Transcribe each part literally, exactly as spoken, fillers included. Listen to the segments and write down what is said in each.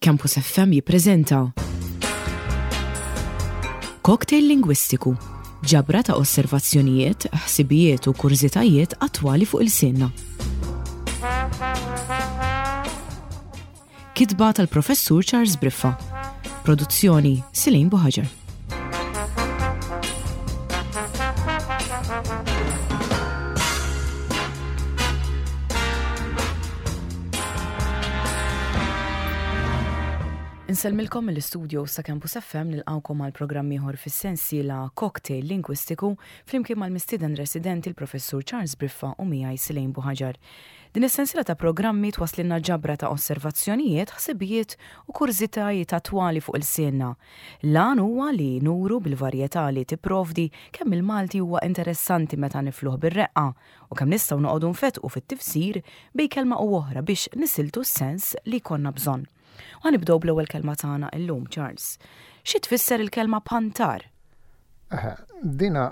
Campus F M jippreżenta Cocktail Lingwistiku, ġabra ta' osservazzjonijiet, ħsibijiet u kurżitajiet attwali fuq ilsienna. Kitba tal-Professur Charles Briffa. Produzzjoni Silin Buħaġar. Insellmilkom mill-istudio sa' Campus F M, nilqawkom għal programm ieħor fis-sensiela Cocktail Lingwistiku flimkien mal-mistieden residenti l-Professur Charles Briffa u miegħi Silejn Buħaġar. Din is-sensiela ta' programmi twasslilna ġabra ta' osservazzjonijiet, ħsibijiet u kurżitajiet attwali fuq ilsienna. L-għan huwa li nuru bil-varjetà li tipprovdi kemm il-Malti huwa interessanti meta nifluh bir-reqqa u kemm nistgħu noqogħdu nfetqu fit-tifsir bejn kelma u oħra biex nisiltu s-sens li jkollna bżonn. U nibdew bl-ewwel kelma tagħna illum, Charles. Xi tfisser il-kelma pantar? Eħe, dina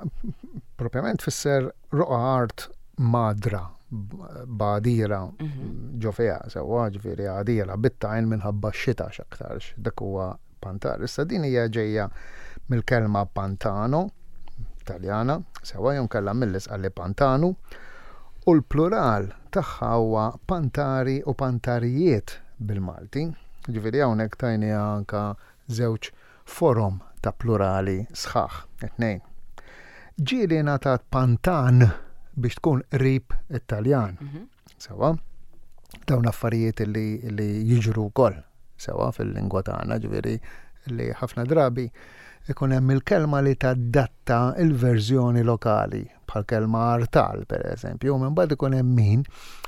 propjament tfisser roqa art madra, b'għadira ġo fiha, sewwa, ġifieri għadira bit-tajn minħabba x-xita x'aktarx, dak huwa pantar. Issa din hija ġejja mill-kelma pantano, Taljana, sewwa, jew kellha mill-Isqalli pantanu, u l-plural tagħha huwa pantari u pantarijiet bil-Malti. Ġifieri hawnhekk tajniha anka żewġ forom ta' plurali sħaħ, it-tnejn. Ġieli ngħatat pantan biex tkun qrib it-Taljan. Sewwa, dawn affarijiet li, li jiġru wkoll sewwa fil-lingwa tagħna, ġifieri li ħafna drabi ikun hemm il-kelma li tadatta il-verżjoni lokali, bħal kelma artal per eżempju, u minn bad ikun hemm min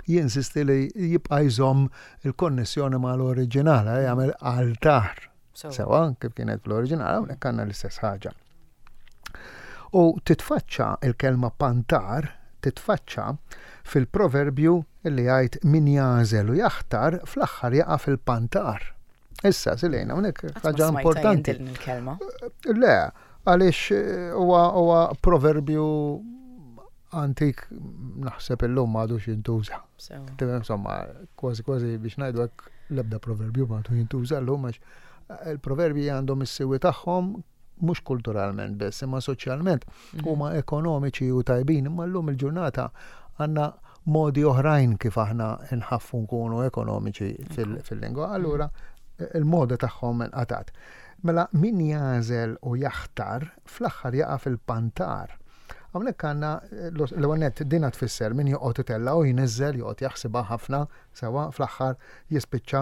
jinsisti li jibqa' jżomm il-konnessjoni mal-oriġinal, jagħmel altar. Sewwa, kif kienet fl-oriġinal, hawnhekk għandna l-istess ħaġa. U titfaċċa il-kelma pantar, titfaċċa fil-proverbju li jgħid min jagħżel u jaħtar fl-aħħar jaqa' fil-pantar. Issa, Silejna, hawnhekk ħaġa importanti. Il-kelma. Le, għaliex huwa huwa proverbju antik, naħseb illum m'għadux jintuża. Tifhem, insomma, kważi kważi biex ngħidu hekk, l-ebda proverbju m'għadu jintuża llum, għax il-proverbji għandhom is-siwi tagħhom mhux kulturalment biss, imma soċjalment huma ekonomiċi u tajbin, imma llum il-ġurnata għandna modi oħrajn kif aħna nħaffu nkunu ekonomiċi fil-lingwa. Allura il-moda tagħhom inqatat. Mela min jagħżel u jaħtar fl-aħħar jaqa' fil-pantar. Hawnhekk għandna l-ewwel nett dina tfisser min joqgħod itella' u jniżżel, joqgħod jaħsibha ħafna, sewwa fl-aħħar jispiċċa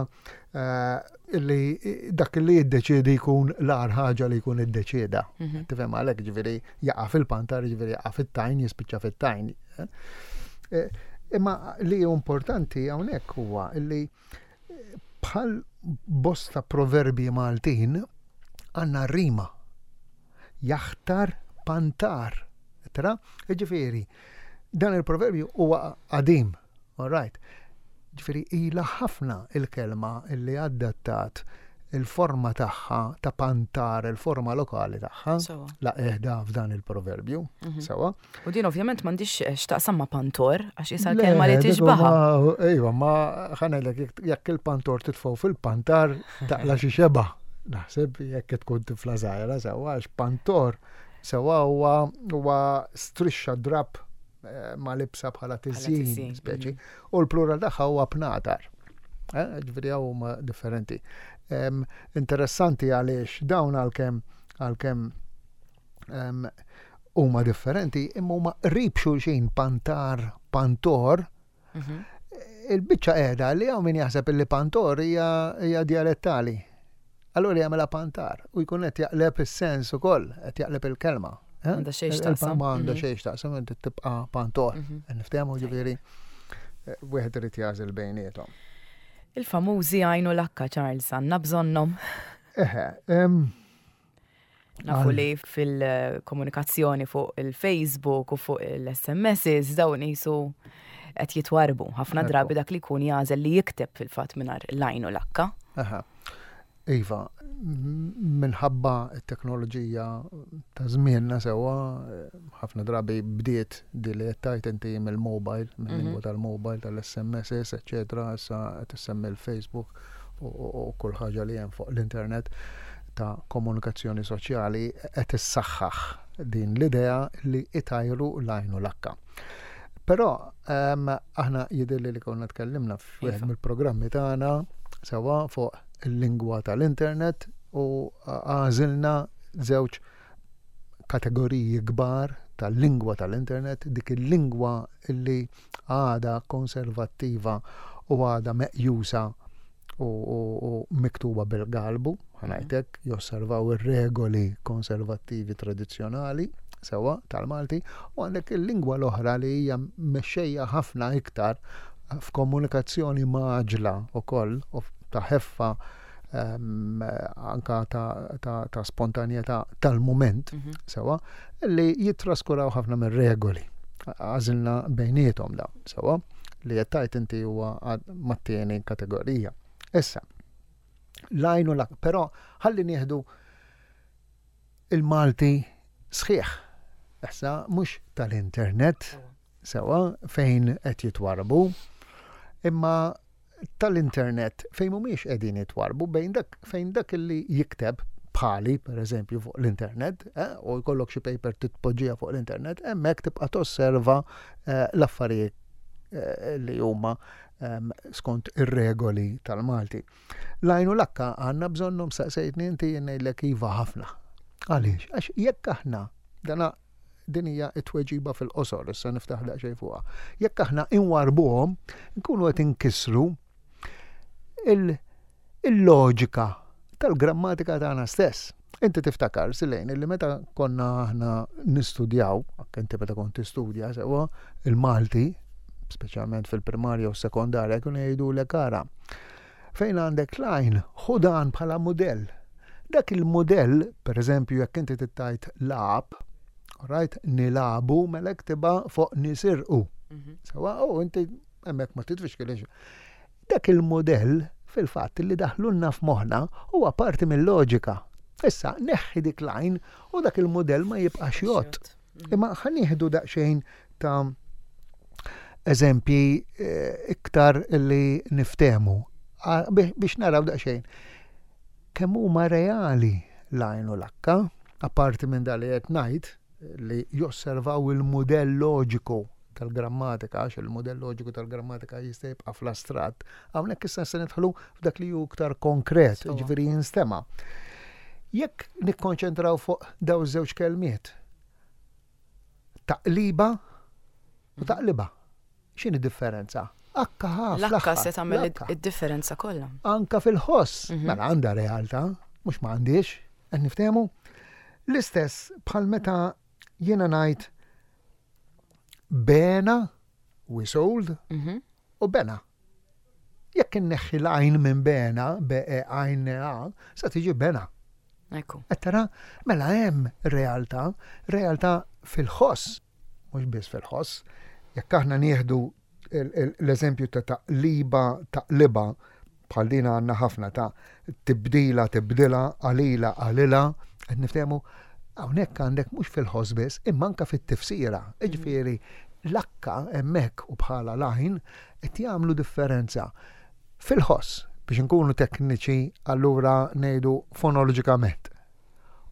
illi dak li jiddeċiedi jkun l-agħar ħaġa li jkun iddeċieda. Tifhem, għalhekk ġifieri jaqa' fil-pantar, ġifieri jaqa' fit-tajn, jispiċċa fit-tajn. Imma li hu importanti hawnhekk huwa illi bħal bosta proverbi Maltin għandna rima. Jaħtar pantar. Tra? Ġifieri, dan il-proverbju huwa qadim, all right. Ġifieri ilha ħafna il-kelma illi adattat il-forma tagħha ta' pantar, il-forma lokali tagħha, la eħda f'dan il-proverbju, sewwa. U din ovvjament m'għandix x'taqsam ma' pantor, għax issa l-kelma li tixbaha. Ejwa, ma ħa ngħidlek, jekk il-pantor titfgħu fil-pantar taqla xi xeba. Naħseb jekk tkun tifla żgħira, sewwa, għax pantor sewwa huwa huwa strixxa drab ma' libsa bħala tiżjin, speċi, u l-plural tagħha huwa pnatar. Ġifieri hawn huma differenti. Interessanti għaliex dawn għalkemm għalkemm huma differenti, imma huma qrib xulxin, pantar, pantor. Il-biċċa qiegħda li hawn min jaħseb illi pantor hija dialettali. Allura jagħmilha pantar u jkun qed jaqleb is-sens ukoll, qed jaqleb il-kelma. Għandha xejn x'taqsam. Ma għandha xejn x'taqsam, inti tibqa' pantor. Niftehmu, ġifieri wieħed irid jagħżel bejniethom. Il-famużi għajnu lakka, Charles, għandna bżonnhom. Eħe, Nafu li fil-komunikazzjoni fuq il-Facebook u fuq il-S M Ss dawn jisu qed jitwarbu. Ħafna drabi dak li jkun jagħżel li jikteb fil-fatt mingħajr l-għajn u l-akka. Aha. Iva, minħabba t-teknoloġija ta' żmienna, sewwa, ħafna drabi bdiet di li qed tgħid inti mill-mobile, mill-lingwa tal-mobile, tal-S M Ss, eċċetera, issa qed issemmi l-Facebook. u kull ħaġa li hemm fuq l-internet ta' komunikazzjoni soċjali qed issaħħaħ din l-idea li itajru l-għajn u l-akka. Però aħna jidhirli li konna tkellimna f'wieħed Iva. mill-programmi tagħna sewa fuq il-lingwa tal-internet u għażilna żewġ kategoriji kbar tal-lingwa tal-internet, dik il-lingwa li għada konservattiva u għada meqjusa u, u, u miktuba bil-galbu, ħa ngħidlek, josservaw ir-regoli konservattivi tradizzjonali sewa tal-Malti, u għandek il-lingwa l-oħra li hija mexxejja ħafna iktar f'komunikazzjoni mgħaġġla ukoll u ta' ħeffa um, anka ta', ta, ta' spontanjetà tal-moment Mhm. sewa li jittraskuraw ħafna mir-regoli. Għażilna bejniethom dawn sewa li qed tgħid inti huwa mat-tieni kategorija. Issa, l-għajn u l-akka, però ħalli nieħdu il-Malti sħiħ. Issa mhux tal-internet sewa fejn qed jitwarbu, imma tal-internet fejn mhumiex qegħdin jitwarbu bejn dak fejn dak li jikteb bħali, per eżempju, fuq l-internet, eh, u jkollok xi paper titpoġġija fuq l-internet, hemmhekk tibqa' tosserva eh, l-affarijiet eh, li huma em, skont ir-regoli tal-Malti. L-għajn u l-akka għandna bżonnhom saqsejtni inti jien ngħidlek iva ħafna. Għaliex? Għax jekk aħna dana din hija t-tweġiba fil-qosor, issa niftaħ daqsxejn fuqha. Jekk aħna inwarbuhom, nkunu qed inkissru il-loġika tal-grammatika tagħna stess. Inti tiftakar, Silejn, illi meta konna aħna nistudjaw, anke inti meta kont tistudja sewwa il-Malti, speċjalment fil-primarja u sekondarja, kienu jgħidulek ara. Fejn għandek l-għajn, ħu dan bħala modell. Dak il-modell, per eżempju, jekk inti tgħid lagħab, right, nilagħbu mela ktibha fuq nisirqu. Mhm. Sewa, u inti hemmhekk ma titfixkilx. Dak il-modell fil-fatt li daħlulna f'moħħna huwa parti mill-loġika. Issa, neħħi dik l-għajn u dak il-modell ma jibqax jgħodd. Mhm. Imma ħa nieħdu daqsxejn ta' eżempji eh, iktar li niftehmu biex naraw daqsxejn. Kemm huma reali l-għajn u l-akka, apparti minn dak li qed ngħid li josservaw il-modell loġiku tal-grammatika, għax il-modell loġiku tal-grammatika jista' jibqa' fl-astratt, hawnhekk issa se nidħlu f'dak li hu iktar konkret, Sewa. ġifieri jinstema'. Jekk nikkonċentraw fuq daw żewġ kelmiet, taqliba u taqliba. X'inhi differenza? Akka ħa L-akka fl-aħħar, se tagħmel l-akka. id-differenza kollha. Anka fil-ħoss, Mhm. mela għandha realtà, mhux ma għandix, qed niftehmu. L-istess bħal meta jiena ngħid bena, we sold, Mhm. u bena. Jekk inneħħi l-għajn minn bena, B E għajn A, sa tiġi bena. Ekku. Qed tara, mela hemm realtà, realtà fil-ħoss, mhux biss fil-ħoss. Jekk aħna nieħdu il- il- l-eżempju ta' taqliba, taqliba, bħal din għandna ħafna ta' tibdila, tibdila, qalila, qalila, qed niftehmu, hawnhekk għandek mhux fil-ħoss biss, imma anke fit-tifsira. Jiġifieri l-akka hemmhekk u bħala l-għajn qed jagħmlu differenza fil-ħoss biex inkunu tekniċi allura ngħidu fonoloġikament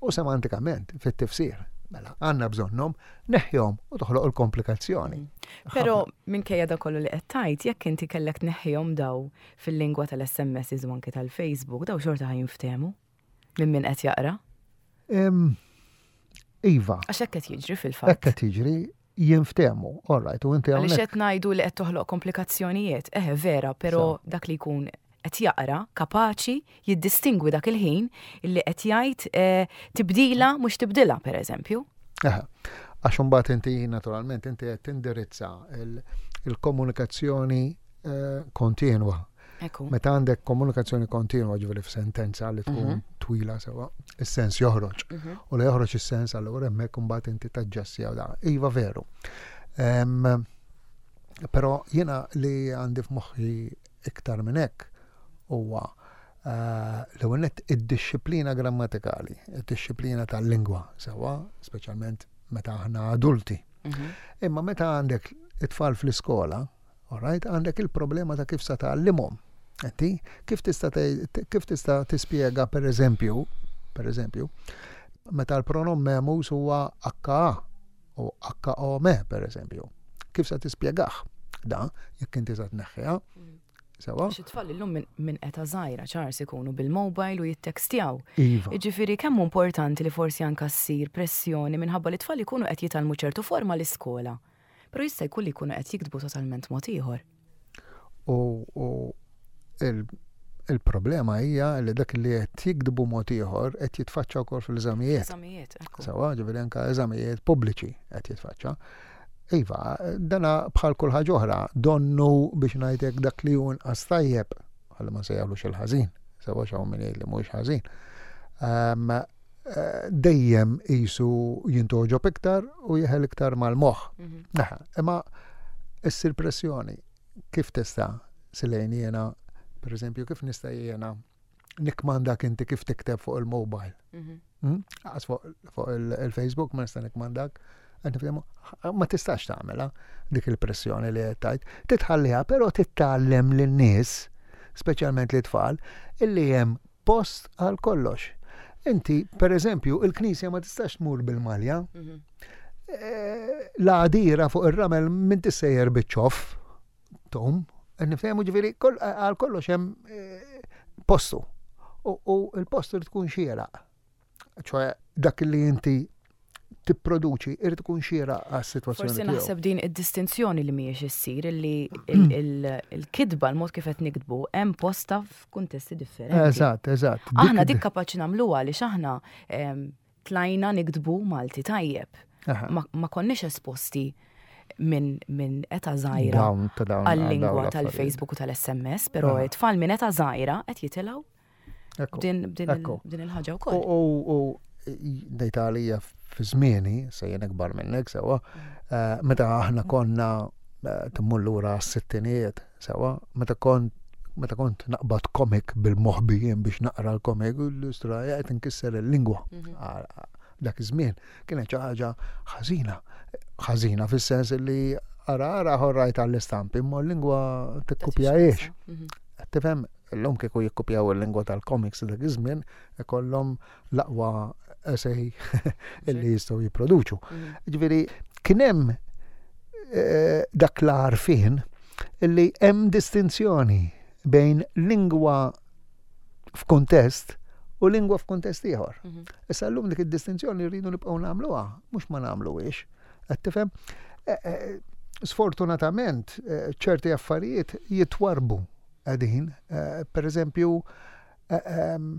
u semantikament fit-tifsir. Mela, għandna bżonnhom, neħħihom u toħloq il-komplikazzjoni. Però minkejja da kollu li qed tgħid, jekk inti kellek tneħħihom daw fil-lingwa tal-SMS u anke tal-Facebook, daw xorta ħa jinftehmu minn min qed jaqra. Em, Iva, Għax hekk qed jiġri fil-fatt. hekk qed jiġri jinftehmu, all right, u inti Għaliex hawnhekk qed ngħidu li qed toħloq komplikazzjonijiet, eħe vera, però dak li jkun qed jaqra kapaċi jiddistingwi dak il-ħin illi qed jgħid eh, tibdila mhux tibdila pereżempju. Eħe, għax imbagħad inti naturalment inti qed tindirizza il- il-komunikazzjoni eh, kontinwa. Ekku. Meta għandek komunikazzjoni kontinwa ġifieri f'sentenza li tkun Mhm. twila sewa, is-sens joħroġ. Mhm. U li joħroġ is-sens allura hemmhekk imbagħad inti taġġassja da. Iva veru. Em, Però jiena li għandi f'moħħi iktar minn hekk huwa eh, l-ewwel nett id-dixxiplina grammatikali, id-dixxiplina tal-lingwa sewwa, speċjalment meta aħna adulti. Mhm. Imma meta għandek it-tfal fl-iskola, all right, għandek il-problema ta' kif sa tgħallimhom. Inti kif tista' kif tista' tispjega per eżempju, per eżempju, meta l-pronom memus huwa H A u H O M per eżempju. Kif sa tispjegah? Da, jekk inti sa tneħħiha. Sewa? Xi tfal illum minn età żgħira, Charles, ikunu bil-mobile u jittekstjaw. Iva. Jiġifieri kemm importanti li forsi anka ssir pressjoni minħabba li tfal ikunu qed jitgħallmu ċertu forma l-iskola. Però jista' jkun li jkunu qed jiktbu totalment mod ieħor. U il-problema hija li dak li qed jiktbu mod ieħor qed jitfaċċa wkoll fil-eżamijiet. Eżamijiet, ekku. Sewa, ġifieri anke eżamijiet pubbliċi qed jitfaċċa. Iva, dana bħal kull ħaġa oħra, donnu biex ngħidlek dak li hu inqas tajjeb, ħalli ma nsejjaħlux il-ħażin, sewa x'hawn min jgħid li mhuwiex ħażin. Ehm, eh, dejjem qisu jintogħġob iktar u jeħel iktar mal-moħħ. Mhm. Aha, imma issir pressjoni, kif tista' silejn jiena, per eżempju, kif nista' jiena nikmandak inti kif tikteb fuq il-mobile? Mhm. Hmm? Għax fuq fuq il- il-Facebook ma nista' nikmandak. Qed nifhmu? Ma tistax tagħmilha dik il-pressjoni li qed tgħid. Titħalliha, però titgħallem lin-nies, speċjalment lit-tfal, illi hemm post għal kollox. Inti, per eżempju, il-knisja ma tistax tmur bil-malja. Mhm. Eh, L-għadira fuq ir-ramel minn tissejjer biċ-ċoff, tom, nifhemu ġifieri għal kollox hemm eh, postu. U u il-postu irid tkun xieraq. ċoè dak li inti tipproduċi irid tkun xieraq għas-sitwazzjoni Forsi tiegħu. naħseb din id-distinzjoni li mhijiex issir illi il- il- il-kitba, l-mod kif qed niktbu, hemm posta f'kuntesti differenti. Eżatt, eżatt. Aħna dik kapaċi nagħmluha għaliex aħna em, tlajna niktbu Malti tajjeb. Aha. Ma, ma konniex esposti minn min età żgħira Dawn ta' dawn għal-lingwa dawn l-affarijiet. tal-Facebook u tal-S M S, però Aha. it-tfal minn età żgħira qed jitilgħu Ekku. din din il- Ekku. din il-ħaġa U wkoll. u u dejta għalija fi żmieni, se jien ikbar minnek sewa, eh, meta aħna konna eh, timmur lura s-sittinijiet, sewa, meta kont meta kont naqbad komik bil-moħbijien biex naqra l-komik, u l-istra qed inkisser il-lingwa. Mhm. Għal- Dak iż-żmien kienet xi ħaġa ħażina. Ħażina fis-sens li ara ara ħorrajt għall-istampi, imma l-lingwa tikkupjahiex. Mhm. Tifhem, illum kieku jikkupjaw il-lingwa tal-comics dak iż-żmien ikollhom l-aqwa essay illi jistgħu jipproduċu. Mhm. Ġifieri kien hemm eh, dak l-għarfien illi hemm distinzjoni bejn lingwa f'kuntest u lingwa f'kuntest ieħor. Mhm. Issa llum dik id-distinzjoni rridu nibqgħu nagħmluha, mhux ma nagħmluhiex. Qed tifhem? Eh, eh, Sfortunatament eh, ċerti affarijiet jitwarbu qegħdin. Eh, Per eżempju, eh, ehm,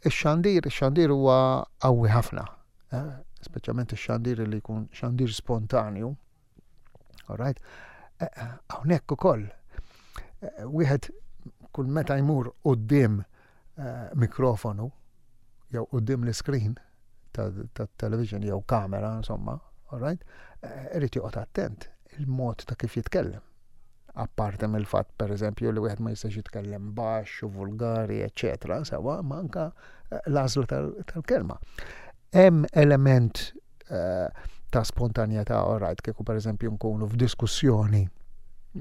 ix-xandir, ix-xandir huwa qawwi ħafna. eh, Speċjalment ix-xandir li jkun xandir spontanju. All right? Eh, eh, Hawnhekk ukoll. eh, Wieħed kull meta jmur quddiem eh, mikrofonu jew quddiem l-iskrin ta' television jew kamera, insomma, all right? Eh, Irid joqgħod attent il-mod ta' kif jitkellem. Apparti mill-fatt, per eżempju, li wieħed ma jistax jitkellem baxx u vulgari, eċetera, sewa, ma anka eh, l-għażla tal- tal-kelma. Hemm element eh, ta' spontanjetà, all right, kieku per eżempju nkunu f'diskussjoni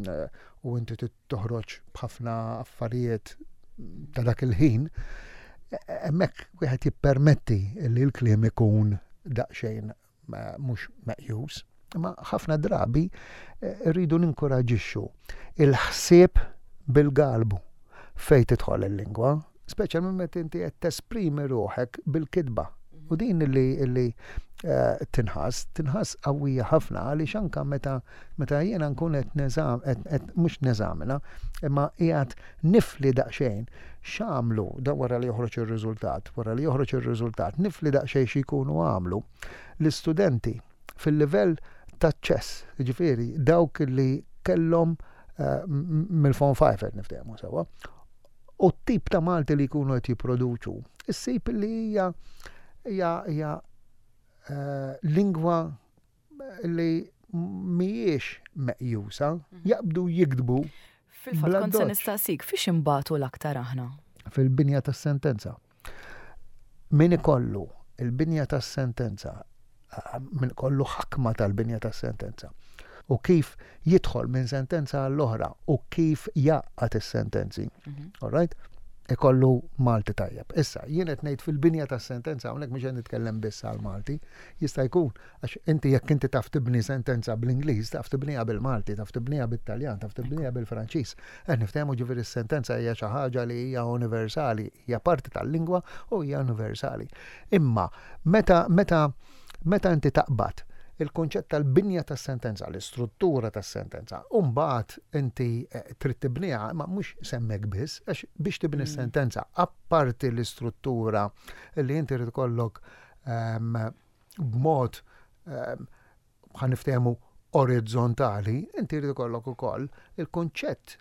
eh, u inti trid toħroġ b'ħafna affarijiet ta' dak il-ħin, hemmhekk wieħed jippermetti li l-kliem ikun daqsxejn ma- mhux meqjus. Imma ħafna drabi eh, rridu ninkoraġixxu il-ħsieb bil-galbu fejn tidħol il-lingwa, speċjalment meta inti qed tesprimi ruħek bil-kitba. U din li li eh, tinħass, tinħass qawwija ħafna għaliex anka meta meta jiena nkun qed neżam qed qed mhux neżamina, imma qiegħed nifli daqsxejn x'għamlu da wara li joħroġ ir-riżultat, wara li joħroġ ir-riżultat, nifli daqsxejn xi jkunu għamlu l-istudenti fil-livell taċ-ċess, ġifieri dawk li kellhom eh, m- mill-Form five qed niftehmu sewwa. U t-tip ta' Malti li jkunu qed jipproduċu, issib li hija hija hija eh, lingwa li mhijiex meqjusa, jaqbdu jiktbu Fil-fatt bla kont se doċ. nistaqsik fiex imbatu l-aktar aħna. Fil-binja tas-sentenza. Min ikollu il-binja tas-sentenza, eh, min ikollu ħakma tal-binja tas-sentenza U kif jidħol minn sentenza għall-oħra u kif jgħaqqad is-sentenzi. Mhm. All right? Ikollu Malti tajjeb. Issa, jien qed ngħid fil-binja tas-sentenza hawnhekk mhux qed nitkellem biss għal Malti, jista' jkun għax inti jekk inti taf tibni sentenza bl-Ingliż, taf tibniha bil-Malti, taf tibniha bit-Taljan, taf tibniha bil-Franċiż. Qed niftehmu, ġifieri s-sentenza hija xi ħaġa li hija universali, hija parti tal-lingwa u hija universali. Imma meta meta meta inti taqbad il-kunċett tal-binja tas-sentenza, l-istruttura tas-sentenza, u mbagħad inti eh, trid tibniha, ma mhux s'hemmhekk biss, għax biex tibni Mm. s-sentenza, apparti l-istruttura li inti trid ikollok ehm, b'mod ehm, ħa niftehmu orizzontali, inti trid ikollok ukoll il-kunċett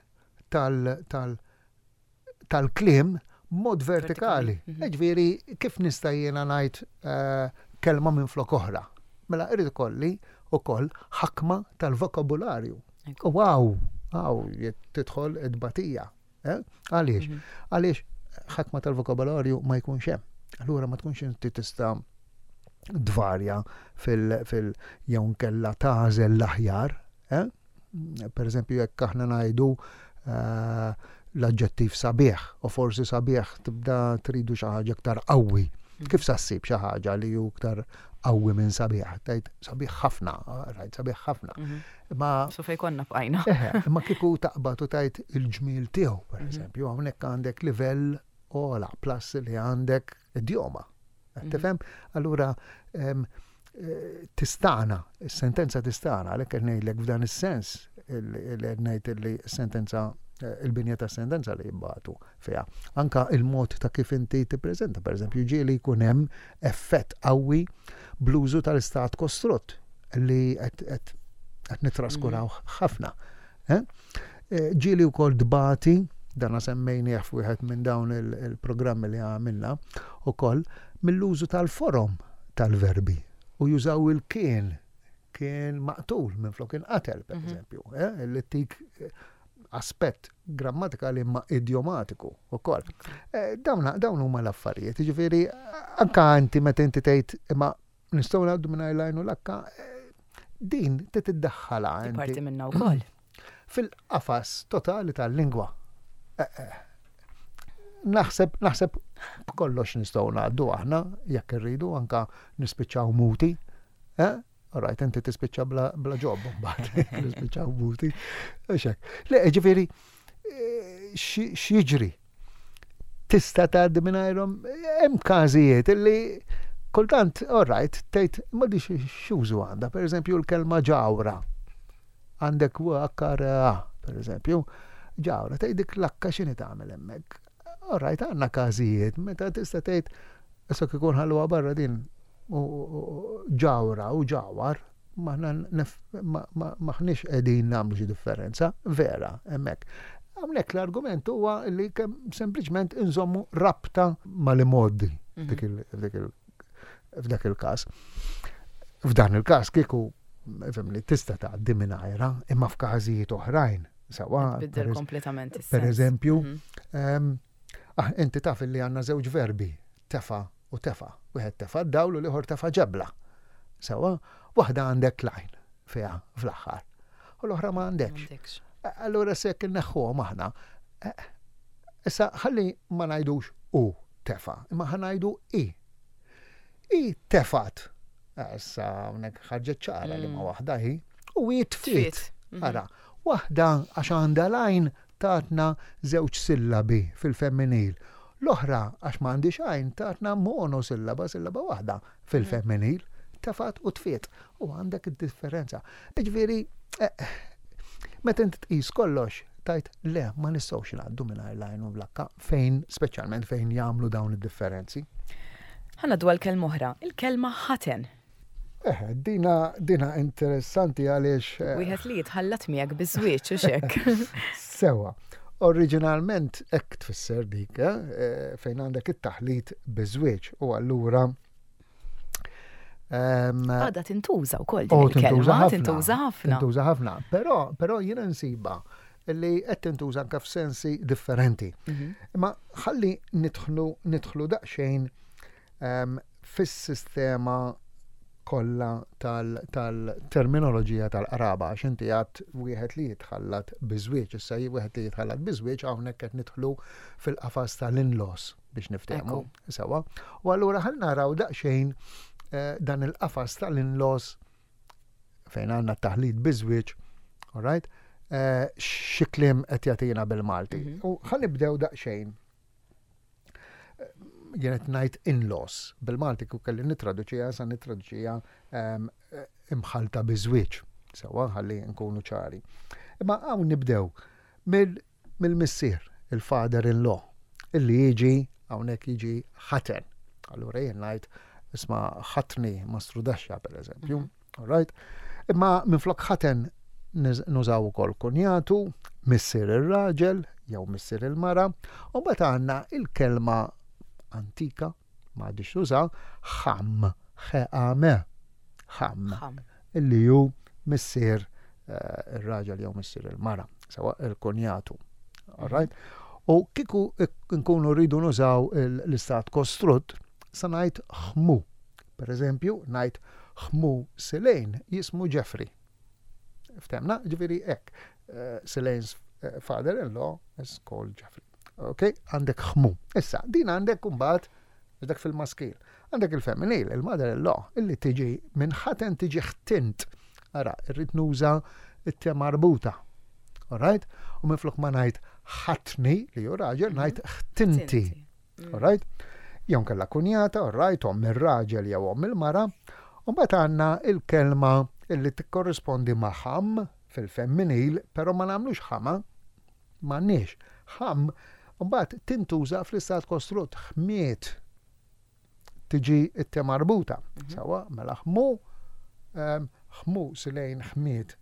tal- tal- tal-kliem b'mod vertikali. Vertikali, mhm. Ġifieri, kif nista' jiena ngħid eh, kelma minn flok oħra? Mela irrid ikolli ukoll ħakma tal-vokabularju. Ekku. U hawn, hawn tidħol id-batija. Eh? Għaliex? Mhm. Għaliex ħakma tal-vokabularju ma jkunx hemm. Allura ma tkunx inti tista' dvarja fil, fil jew nkella tagħżel l-aħjar. Eh? Per eżempju, jekk aħna ngħidu eh, l-aġġettiv sabiħ, u forsi sabiħ tibda tridu xi ħaġa iktar qawwi. Kif sa ssib xi ħaġa li hu iktar qawwi minn sabiħ? Tgħid sabiħ ħafna, rajt sabiħ ħafna. Mhm. Ma So fej konna bqajna. Eħe, imma kieku taqbad u tgħid il-ġmiel tiegħu, per Mhm. eżempju, hawnhekk għandek livell ogħla plus li għandek idjoma. Mhm. Tifhem? Allura em, eh, tistana, is-sentenza tistana, għalhekk qed ngħidlek f'dan is-sens il- il qed ngħid li s-sentenza eh, il-binja ta' sentenza li jibbatu fiha. Anka il-mod ta' kif inti tippreżenta, per eżempju, ġieli jkun hemm effett qawwi bl-użu tal-istat kostrutt li qed qed qed nitraskuraw ħafna. Eh? Eh, Ġieli wkoll dbati, dana semmejnieh f'wieħed minn dawn il- il-programmi li għamilna, ukoll mill-użu tal-forom tal-verbi u jużaw il-kien, kien maqtul minn flok inqatel, per Mhm. eżempju, eh? Li tik eh, aspett grammatikali ma idiomatiku ukoll. Eh, Dawn dawn huma l-affarijiet, jiġifieri anka inti meta inti tgħid imma nistgħu ngħaddu minn l-għajn u l-akka, eh, din trid tiddaħħalha Parti inti minna wkoll. fil-qafas totali tal-lingwa. Eh, eh, Naħseb, naħseb b'kollox nistgħu ngħaddu aħna jekk irridu anka nispiċċaw muti. Eh? Alright, inti tispiċċa bla, bla job mbagħad nispiċċaw muti. Għax hekk. Le, ġifieri eh, xi- x'jiġri? Tista' tgħaddi mingħajrhom hemm każijiet illi kultant, alright, tgħid ma di x'użu għandha, pereżempju l-kelma ġawra. Għandek w akkar A, per eżempju, ġawra, tgħid dik l-akka x'inhi tagħmel hemmhekk. Alright, għandna każijiet, meta tista' tgħid issa kieku nħalluha barra din u- u- u- ġawra u ġawar, maħna nef- ma- ma- maħniex qegħdin nagħmlu xi differenza, vera, hemmhekk. Hawnhekk l-argument huwa li kemm sempliċement inżommu rabta mal-imgħoddi Mhm. f'dik il- f'dik il- f'dak il-każ. F'dan il-każ kieku fimli tista' tgħaddi mingħajra, imma f'każijiet oħrajn. Sawa, Tbiddel per kompletament is-sens. per eżempju, Mhm. Em, ah, inti taf li għandna żewġ verbi, tefa u tefa. Wieħed tefa d-dawl u l-ieħor tefa ġebla. Sawa, waħda għandek l-għajn fiha fl-aħħar. U l-oħra ma għandekx. M'għandekx. Allura sekk inneħħuhom aħna. Eh, Issa ħalli ma ngħidux u tefa, imma ħa ngħidu i. I tefat. Issa hawnhekk ħarġet ċara li ma Mm. waħda hi. U i tfit. Tfit. Mhm. Ara, waħda għax għandha l-għajn tatna żewġ sillabi fil-femminil. L-oħra għax m'għandix għajn tatna monosillaba, sillaba waħda fil-femminil, tefat u tfiet. U għandek id-differenza. Ġifieri, eh, meta inti tqis kollox, tgħid le, ma nistgħux ngħaddu mingħajr l-għajn u l-akka fejn, speċjalment fejn jagħmlu dawn id-differenzi. Ħa ngħaddu għal kelma oħra, il-kelma ħaten. Eh, dina, dina interessanti għaliex. eh, Wieħed li jitħallat miegħek biż-żwieġ u xek. Sewa. Oriġinalment hekk tfisser dik, eh, eh, fejn għandek it-taħlit biż-żwieġ u allura ehm, Għada tintuża wkoll din oh, tintuża il-kelma, ħafna. tintuża ħafna. Tintuża ħafna. Però però jiena nsiba li qed tintuża anke f'sensi differenti. Mhm. Imma ħalli nidħlu nidħlu daqsxejn ehm, fis-sistema kollha tal-terminoloġija tal-qraba, għax inti għad wieħed li jitħallat biżwieġ, issa wieħed li jitħallat biżwieġ hawnhekk qed nidħlu fil-qafas tal-in-laws biex niftehmu. Sewa. U allura ħa naraw daqsxejn eh, dan il-qafas tal-in-laws fejn għandna taħlit biżwieġ, all right? Eh, xi kliem qed jagħtina bil-Malti. Mhm. U ħa nibdew daqsxejn jien qed ngħid in-laws. Bil-Malti kieku kelli nittraduċiha, sa nittraduċiha ehm, imħalta biżwieġ. Sewa, ħalli nkunu ċari. Imma hawn nibdew mill-missier, il-father-in-law, illi jiġi hawnhekk jiġi ħaten. Allura jien ngħid isma' ħatni mastrudaxxa per eżempju. Mhm. All right? Imma minflok ħaten nużaw ukoll kunjatu, missier ir-raġel jew missier il-mara, u mbagħad għandna il-kelma antika, ma għadix tuża, ħam, ħeqame, ħam, illi hu missier eh, ir-raġel jew missier il-mara, sewa il-kunjatu. All right? U kieku nkunu rridu nużaw l-istat kostrutt, sa ngħid ħmu. Per eżempju, ngħid ħmu Silejn jismu Jeffrey. Ftemna, ġifieri hekk. Uh, Silane's eh, father-in-law is called Jeffrey. Ok, għandek ħmu. Issa, din għandek mbagħad dak fil-maskil. Għandek il-femminil, il-mother-in-law, illi tiġi minn ħaten tiġi ħtint. Ara, irrid nuża it-te marbuta. Alright? U minflok ma ngħid ħatni li hu raġel, mhm. ngħid ħtinti. Mm. Alright? Jew kella kunjata, alright, omm ir-raġel jew omm il-mara. U mbagħad għandna il-kelma illi tikkorrispondi ma' ħam fil-femminil, però ma nagħmlux ħama, m'għandniex. Ħam mbagħad tintuża fl-istat kostrutt ħmiet tiġi it-te marbuta. Mhm. Sawa, mela ħmu ħmu Silejn ħmiet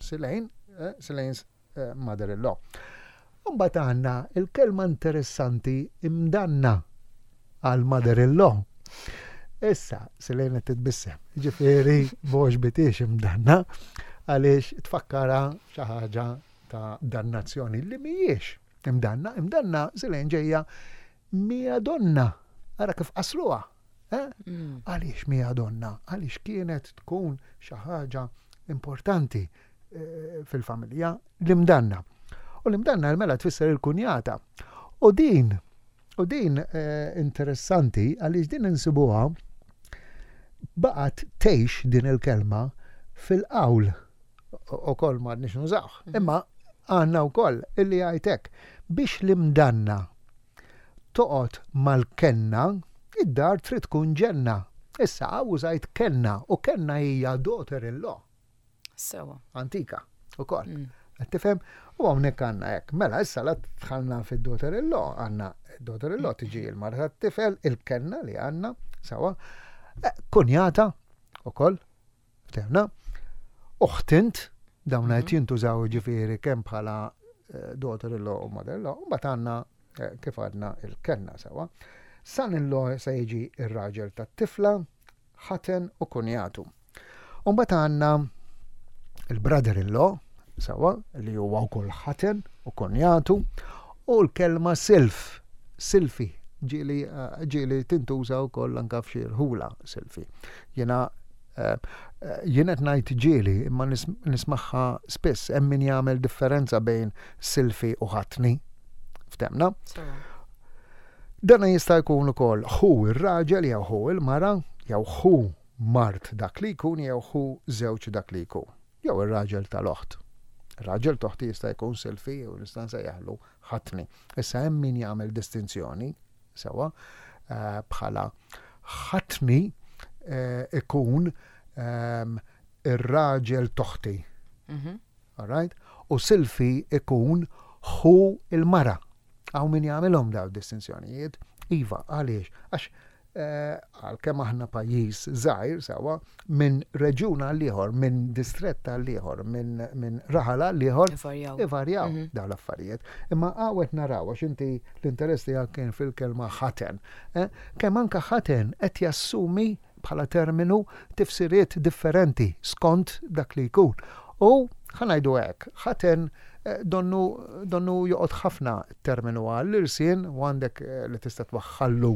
Silejn, eh, Silane's eh, mother-in-law. Mbagħad għandna il-kelma interessanti imdanna għal mother-in-law. Issa, Silejn qed titbissem. Ġifieri m'għoġbithiex imdanna għaliex tfakkara xi ħaġa ta' dannazzjoni li mhijiex imdanna, imdanna Silejn ġejja mia donna. Ara kif qasruha. Eh? Mm. Għaliex mia donna? Għaliex kienet tkun xi ħaġa importanti eh, fil-familja l-imdanna. U l-imdanna mela tfisser il-kunjata. U din, u din eh, interessanti għaliex din insibuha baqgħet tgħix din il-kelma fil-qawl u koll ma nix nużawh. Mhm. Imma għandna wkoll illi għajtek biex l-imdanna toqgħod mal-kenna, id-dar trid tkun ġenna. Issa użajt kenna u kenna hija daughter-in-law. Sewa. Antika, ukoll. Mm. Tifhem? U hawnhekk għandna hekk. Mela issa la dħalna fid-daughter-in-law, għandna daughter-in-law tiġi il-mara tat-tifel, il-kenna li għandna, sewa. Eh, kunjata ukoll, ftehmna. Uħtint, dawn qed mhm. jintużaw ġifieri kemm bħala eh, daughter-in-law u mother-in-law, u mbagħad għandna eh, kif għadna il-kenna sewa. Son-in-law se jiġi ir-raġel tat-tifla, ħaten u kunjatu. U mbagħad għandna il-brother-in-law, sewa, li huwa wkoll ħaten u kunjatu, u l-kelma silf, silfi, ġieli eh, ġieli tintuża wkoll anka f'xi rħula silfi. Jiena eh, eh, jien qed ngħid ġieli imma nismagħha spiss hemm min jagħmel differenza bejn silfi u ħatni. Ftemna? Dana jista' jkun ukoll ħu ir-raġel jew ħu il-mara jew ħu mart dak li jkun jew ħu żewġ dak li jkun. Jew ir-raġel tal-oħt. Ir-raġel t'oħti jista' jkun silfi jew nista' nsejjaħlu ħatni. Issa hemm min jagħmel distinzjoni sewa eh, bħala ħatni eh, ikun ehm, ir-raġel t'oħti. Mhm. All right? U silfi ikun ħu il-mara. Hawn min jagħmilhom daw distinzjonijiet. Iva, għaliex? Għax eh, għalkemm aħna pajjiż żgħir sewa minn reġjun għal ieħor, minn distrett għal ieħor, minn min raħal għal ieħor, ivarjaw mhm. dawn l-affarijiet. Imma għawet naraw għax inti l-interess tiegħek kien fil-kelma ħaten. Eh? Kemm anka ħaten qed jassumi bħala terminu tifsiriet differenti skont dak li jkun. U ħa ngħidu hekk, ħaten eh, donnu, donnu joqgħod ħafna terminu għall-irsien u għandek eh, li tista' twaħħallu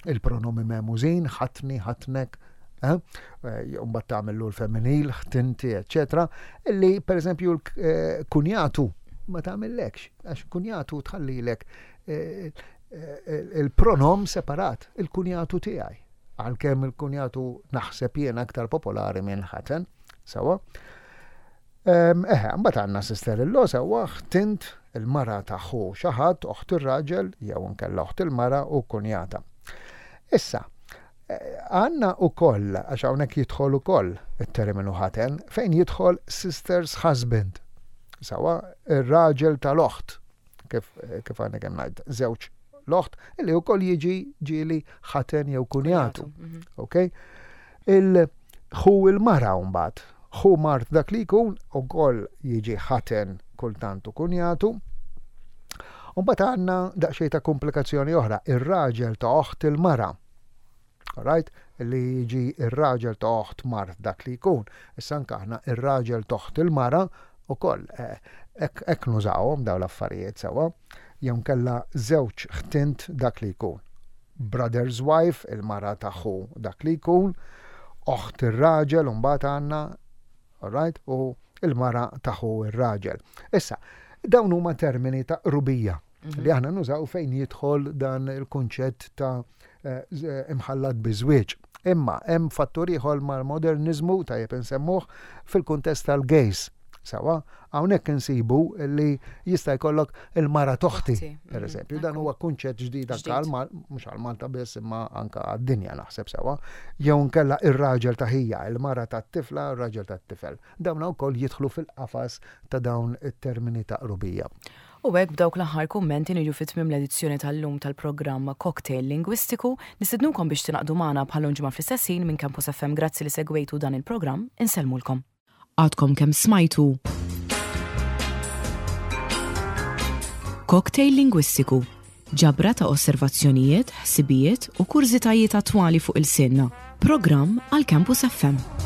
il-pronomi memużin, ħatni, ħatnek, Eh? Mbagħad tagħmillu l-femminil, ħtinti, eċetera, illi pereżempju l-kunjatu ma tagħmillekx, għax kunjatu tħallilek eh, eh, il-pronom separat, il-kunjatu tiegħi. Għalkemm il-kunjatu naħseb jien aktar popolari minn ħaten, sewwa. Eħe, mbagħad għandna sister-in-law sewwa, ħtint, il-mara ta' ħu xi ħadd, oħt ir-raġel, jew nkella oħt il-mara u kunjata. Issa, għandna ukoll, għax hawnhekk jidħol ukoll it-terminu ħaten, fejn jidħol sister's husband. Sewwa, ir-raġel tal-oħt, kif, kif għandna kemm ngħid, żewġ l-oħt, illi ukoll jiġi ġieli ħaten jew kunjatu. Mhm. Ok? Il-ħu il-mara mbagħad, ħu mart dak li jkun ukoll jiġi ħaten kultant u kunjatu. Mbagħad għandna daqsxejn ta' komplikazzjoni oħra, ir-raġel ta' oħt il-mara. Alright? Li jiġi ir-raġel ta' oħt mart dak li jkun. Issa anke aħna ir-raġel ta' oħt il-mara ukoll hekk hekk nużawhom dawn l-affarijiet sewwa. Jew kella żewġ ħtint dak li jkun. Brother's wife, il-mara ta' ħu dak li jkun, oħt ir-raġel u mbagħad għandna, alright, u il-mara ta' ħu ir-raġel. Issa, dawn huma termini ta' qrubija li aħna nużaw fejn jidħol dan il-kunċett ta' eh, z- imħallat biżwieġ. Imma hemm fattur ieħor mal-modernizmu tajjeb insemmuh fil-kuntest tal-gays. Sewwa, hawnhekk insibu li jista' jkollok il-mara t'oħti, Toħti, per mhm, eżempju. Dan ekku. huwa kunċett ġdid anke Ġdid. għal Mal- mhux għal Malta biss imma anke għad-dinja naħseb sewwa. Jew nkella ir-raġel ta' ħija, il-mara tat-tifla, ir-raġel tat-tifel. Dawn ukoll jidħlu fil-qafas ta' dawn it-termini ta' qrubija. U hekk b'dawk l-aħħar kummenti niġu fi tmiem l-edizzjoni tal-lum tal-programm Cocktail Lingwistiku. Nistednukom biex tingħaqdu magħna bħal ġimgħa fl-istess ħin minn Campus F M. Grazzi li segwejtu dan il-programm, insellmulkom. Għadkom kemm smajtu Cocktail Lingwistiku, ġabra ta' osservazzjonijiet, ħsibijiet u kurżitajiet attwali fuq ilsienna. Programm għal Campus F M.